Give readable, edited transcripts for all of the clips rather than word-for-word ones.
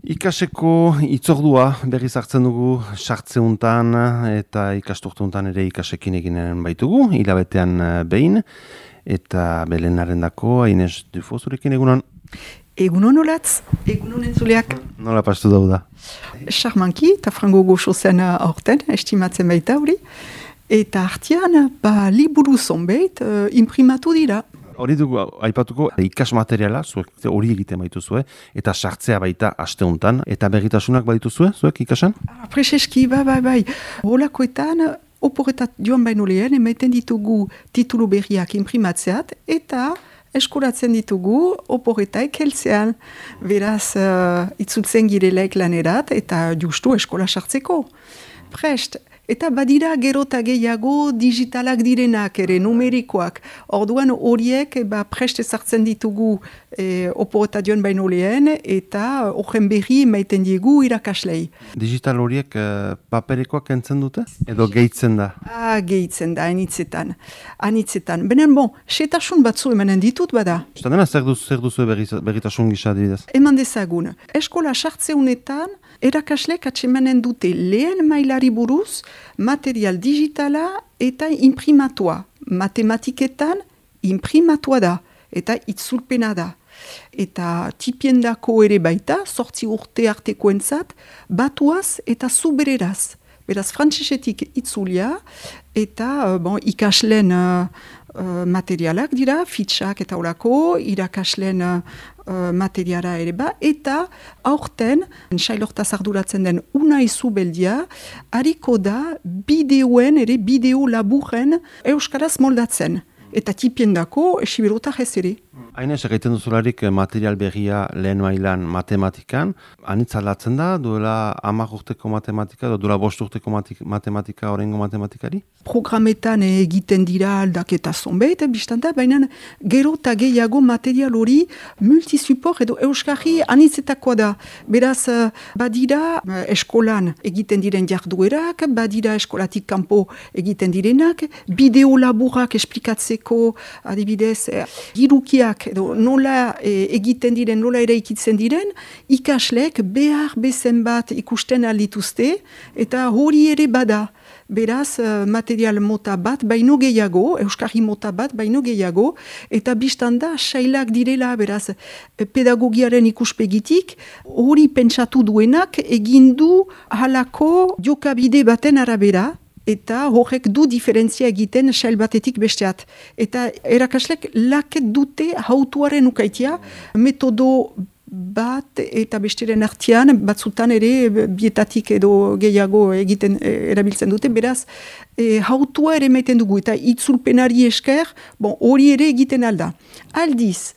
Ikaseko itzordua berriz hartzen dugu sartzeuntan eta ikasturteuntan ere ikasekin eginen baitugu, hilabetean behin, eta belenaren dako, Ines Dufo zurekin egunon. Egunon olatz, egunon entzuleak. Nola pastu dauda? Charmanki, eta frango goxo zen aurten, estimatzen baita hori. Eta artian, liburu zonbait imprimatu dira. Hori dugu, aipatuko, ikas materiala, zuek hori egiten baituzue, eta sartzea baita asteuntan, eta berritasunak baituzue, zuek ikasan? Prezeski, bai. Holakoetan, oporretat joan baino lehen, emaiten ditugu titulu berriak imprimatzeat, eta eskuratzen ditugu oporretaik heltzean. Beraz, itzultzen girelaik lanerat, eta justu eskola sartzeko. Prest. Eta badira gero eta gehiago digitalak direnak ere, numerikoak. Orduan horiek prest ezartzen ditugu oporeta joan baino lehen, eta horren berri emaiten diegu irakaslei. Digital horiek paperikoak entzen dute? Edo gehitzen da? Gehitzen da, anitzetan. Benen setasun batzu emanen ditut bada. Eta dena, zer duzu berritasun gisa didez? Eman dezagun, eskola sartzeunetan, erakaslek atsemanen dute lehen mailari buruz, material digitala eta imprimatua. Matematiketan imprimatua da eta itzulpena da. Eta tipiendako ere baita, 8 urte artekoentzat, batuaz eta zubereraz. Beraz, frantsesetik itzulia eta ikasleen materialak dira, fitxak eta horako, irakasleen materiala ere eta aurten, sailortaz arduratzen den Unai Zubeldia, hariko da bideo laburren euskaraz moldatzen. Eta tipiendako esiberotak ez ere. Hainez, egiten duzularik material berria lehen mailan matematikan, anitz aldatzen da, duela 10 urteko matematika, edo duela 5 urteko matematika, orengo matematikari? Programetan egiten dira aldaketa zonbait, biztanda, baina gero eta gehiago material hori multisuport edo euskarri anitzetakoa da. Beraz, badira eskolan egiten diren jarduerak, badira eskolatik kanpo egiten direnak, bideo laburak esplikatzeko, adibidez, girukiak edo nola egiten diren, nola ere ikitzen diren, ikaslek behar bezen bat ikusten aldituzte, eta hori ere bada. Beraz, material mota bat baino gehiago, euskarri mota bat baino gehiago, eta biztanda sailak direla, beraz, pedagogiaren ikuspegitik, hori pentsatu duenak egindu halako jokabide baten arabera, eta horrek du diferentzia egiten sail batetik besteat. Eta erakaslek laket dute hautuaren ukaitia, metodo bat eta besteren artean, batzutan ere bietatik edo gehiago egiten erabiltzen dute, beraz, hautua ere maiten dugu, eta itzulpenari esker, hori ere egiten alda. Aldiz,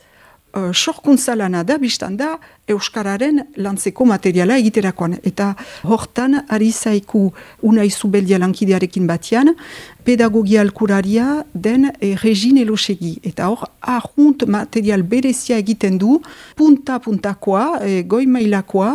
sorkuntza lana da, biztanda, euskararen lantzeko materiala egiterakoan. Eta hortan, ari zaiku Unai Zubeldia lankidearekin batian, pedagogia alkuraria den Regine Elosegi. Eta hor, ahunt material berezia egiten du, punta-puntakoa, goi mailakoa,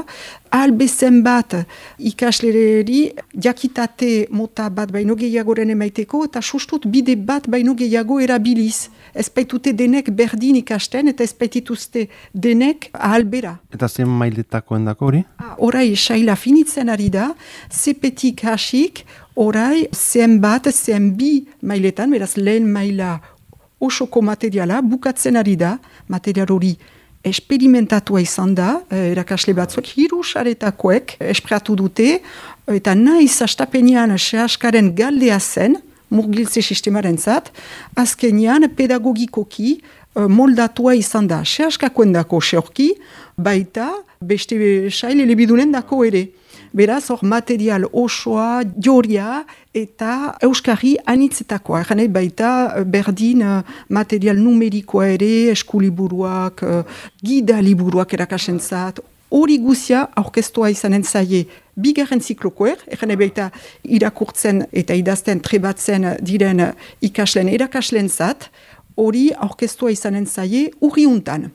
albezen bat ikaslereri jakitate mota bat baino gehiagoren emaiteko, eta sustut bide bat baino gehiago erabiliz. Ez baitute denek berdin ikasten, eta ez baitituzte denek ahalbera. Eta zen mailetakoen dako hori? Horai, saila finitzen ari da, zepetik hasik, horai, zen bi mailetan, beraz lehen maila osoko materiala, bukatzen ari da, material hori esperimentatua izan da, erakasle batzuek, 3 saretakoek espreatu dute, eta naiz astapenean sehaskaren galdea zen, murgiltze sistemaren zat, azkenean pedagogikoki moldatua izan da. Sehaskakoen dako seorki, baita beste sail elebidunen dako ere. Beraz, hor material osoa, joria eta euskarri anitzetakoa. Eganei baita berdin material numerikoa ere, eskuliburuak, gida liburuak erakasentzat, hori guzia aurkeztua izanen zaie bigarren ziklokoer, eganei baita irakurtzen eta idazten trebatzen diren ikaslen erakaslen zat, hori aurkeztua izanen zaie urriuntan.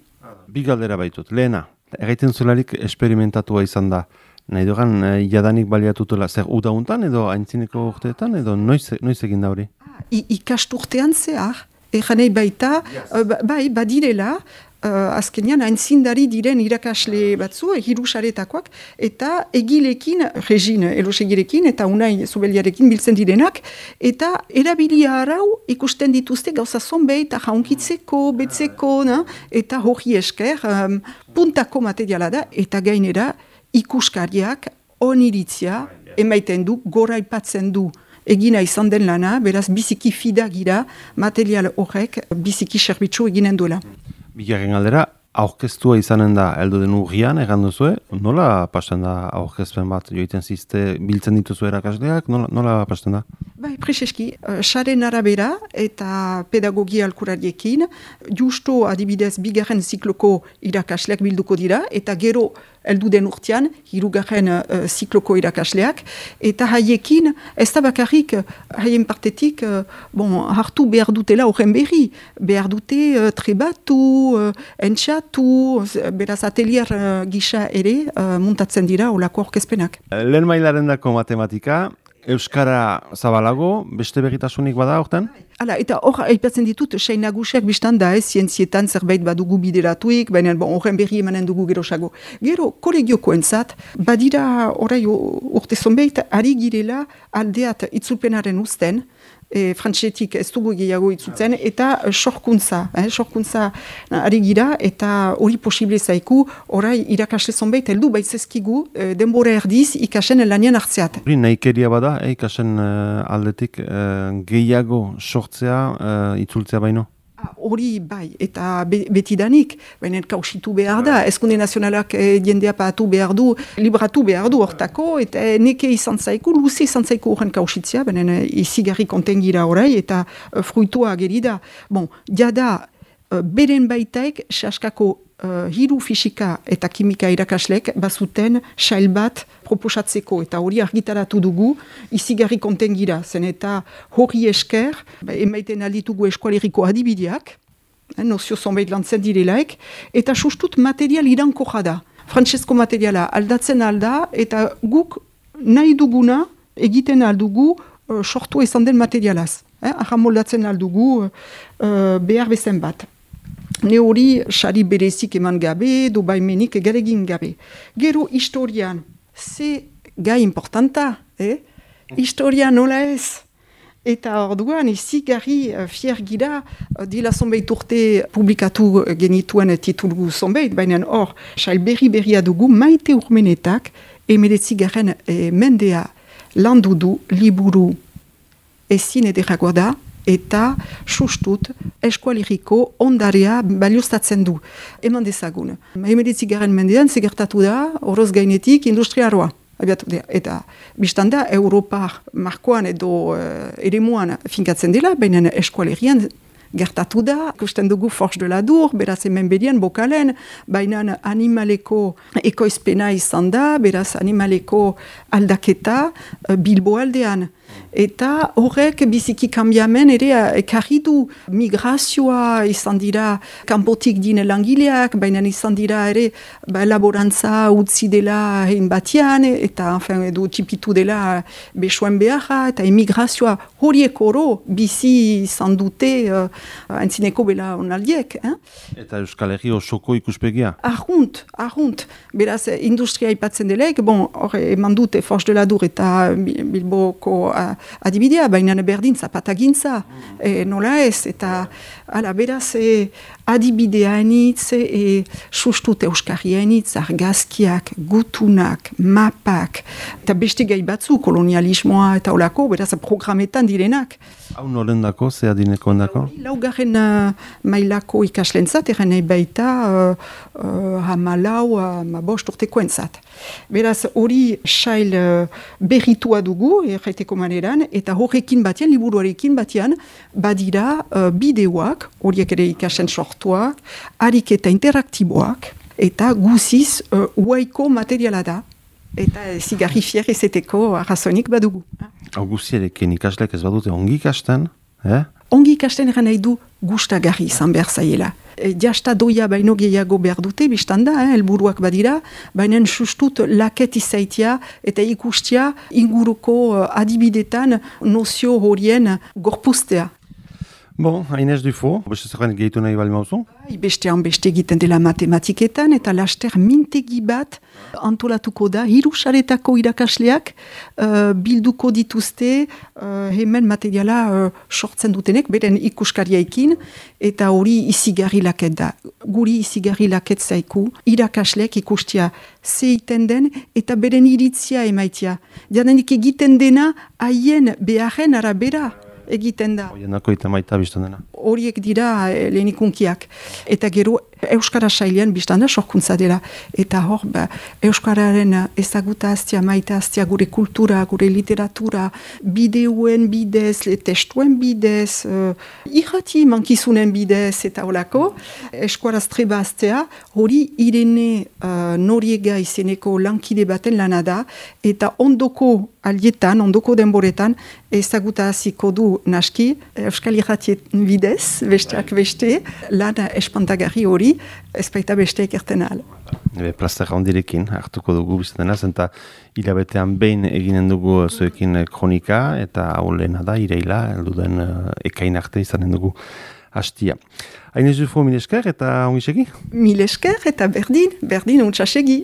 Bi galdera baitut, lehena, erraiten zularik esperimentatua izan da, nahi dugan jadanik baliatutela, zer udauntan edo aintzineko urteetan edo noiz egin da hori? Ikasturtean zehar, eganei baita, badirela, azkenean aintzindari diren irakasle batzu, hirusaretakoak, eta egilekin, Regin Elosegirekin, eta Unai Zubeliarekin biltzen direnak, eta erabilia arau ikusten dituzte gauza zonbeit, jaunkitzeko, betzeko, eta hori esker, puntako materiala da, eta gainera ikuskariak oniritzia emaiten du, gora ipatzen du egina izan den lana, beraz biziki fidagira material horrek biziki serbitzu eginen duela. Bigarren galdera, aurkeztua izanen da heldu den urrian, egan duzue, nola pasten da aurkezpen bat joiten zizte, biltzen dituzu erakasleak, nola pasten da? Bai, preseski, saren arabera eta pedagogia alkurariekin, justo adibidez bigarren zikloko irakasleak bilduko dira, eta gero heldu den urtean, hirugarren zikloko irakasleak, eta haiekin, ez da bakarrik, haien partetik, hartu behar dutela horren berri, behar dute trebatu, entxatu, beraz atelier gisa ere muntatzen dira olako aurkezpenak. Lehen mailarendako matematika, euskara zabalago, beste begitasunik bada hortan? Hala, eta hor, aipatzen ditut, sei nagusiak biztan da, zientzietan zerbait badugu bideratuik, baina horren berri emanen dugu gerosago. Gero, kolegiokoentzat, badira orai urte zonbeit, ari girela aldeat itzulpenaren uzten, frantsetik ez dugu gehiago itzultzen, eta sorkuntza ari gira, eta hori posible zaiku, orai irakasle zonbeit, heldu baitzezkigu, denbora erdiz ikasen lanian hartzeat. Hori nahikeria bada, ikasen aldetik gehiago sortzea, itzultzea baino? Hori bai, eta betidanik, baina kausitu behar da, Eskunde Nazionalak jendea patu behar du, libratu behar du hortako, eta neke izan zaiku, luze izan zaiku horren kausitzea, baina izigarri kontengira orai, eta fruitua gerida. Jada, beren baitaik, saskako hiru fisika eta kimika irakaslek bazuten sail bat proposatzeko, eta hori argitaratu dugu, izigarri kontengira, zen eta hori esker, emaiten alditugu eskualeriko adibideak, nozio zonbait lantzen direlaik, eta sustut material irankorra da. Frantsesko materiala aldatzen alda, eta guk nahi duguna egiten aldugu sortu izan den materialaz. Ahamoldatzen aldugu behar bezen bat. Ne hori sari berezik eman gabe, do baimenik garegin gabe. Gero historian, ze gai importanta, historia nola ez. Eta orduan, izigarri fier gira, dila zonbait urte publikatu genituen titulu zonbait, baina hor, sail berria dugu, Maite Urmenetak, 19. Mendea landu du liburu ezin ederagoa da, eta sustut eskualeriko ondarea balioztatzen du. Eman dezagun. 19. Mendean segertatu da, oroz gainetik industriaroa. Eta biztanda, Europar markoan edo eremuan finkatzen dela, baina eskualerian gertatu da, ikusten dugu Forge de la Dour, beraz hemen bedian bokalen, baina animaleko ekoizpena izan da, beraz animaleko aldaketa Bilbo aldean. Eta horrek biziki kanbiamen ere ekarri du migrazioa izan dira kanpotik dine langileak, baina izan dira ere laborantza utzi dela hein batian, eta edo txipitu dela besoen beharra, eta emigrazioa horiek oro bizi izan dute antzineko bela onaldiek. Eta Euskal Herri osoko ikuspegia? Arrunt. Beraz, industria ipatzen delaik, eman dute Forge de la Dour eta Bilboko adibidea, baina berdin zapatagintza, nola ez, eta beraz adibidea enitz, sustut euskarria enitz, argazkiak, gutunak, mapak, eta beste gai batzu, kolonialismoa eta olako, beraz programetan direnak. Hau norendako, ze adineko endako? Laugarren mailako ikaslentzat, erren nahi baita hamalau, bost urteko entzat. Beraz, hori sail berritua dugu, erraiteko maneran, eta horrekin batian, liburuarekin batian, badira bideoak, horiek ere ikasen sortuak, ariketa interaktiboak, eta guziz uaiko materiala da, eta zigarri fier ezeteko arrazonik badugu. Hau guzierekin ikaslek ez badute ongi ikasten, Ongi ikasten eran nahi du gustagarri izan behar zaiela. Jasta doia baino gehiago behar dute, biztanda, helburuak badira, baina sustut laket izaitia eta ikustia inguruko adibidetan nozio horien gorpuztea. Bon, Inez Dufo, beste zegoen gehitu nahi bali mauzu? Beste egiten dela matematiketan, eta laster mintegi bat antolatuko da, 3 saretako irakasleak bilduko dituzte hemen materiala sortzen dutenek, beren ikuskariaikin, eta hori izigarri laket da. Guri izigarri laket zaiku, irakasleak ikustia zeiten den, eta beren iritzia emaitia. Jadenik egiten dena haien beharren arabera egiten da. Oienako eta maita biztan dena. Horiek dira lehenikunkiak. Eta gero Euskara sailean biztan da sorkuntza dela. Eta hor, Euskararen ezaguta aztia, maita aztia, gure kultura, gure literatura, bideoen bidez, testuen bidez, irrati mankizunen bidez eta holako, eskuaraz treba aztea, hori Irene Noriega izeneko lankide baten lana da, eta ondoko alietan, ondoko denboretan, ezaguta aziko du naski, Euskal irratien bidez, besteak beste, lan espantagarri hori, ez baita beste ekerten ahal. Plazer handirekin hartuko dugu bizatena, eta hilabetean behin eginen dugu zuekin kronika, eta hau lehena da, ireila, elduden ekain arte izanen dugu hastia. Inez Dufo, mil esker eta ongi segi? Mil esker eta berdin, untsasegi.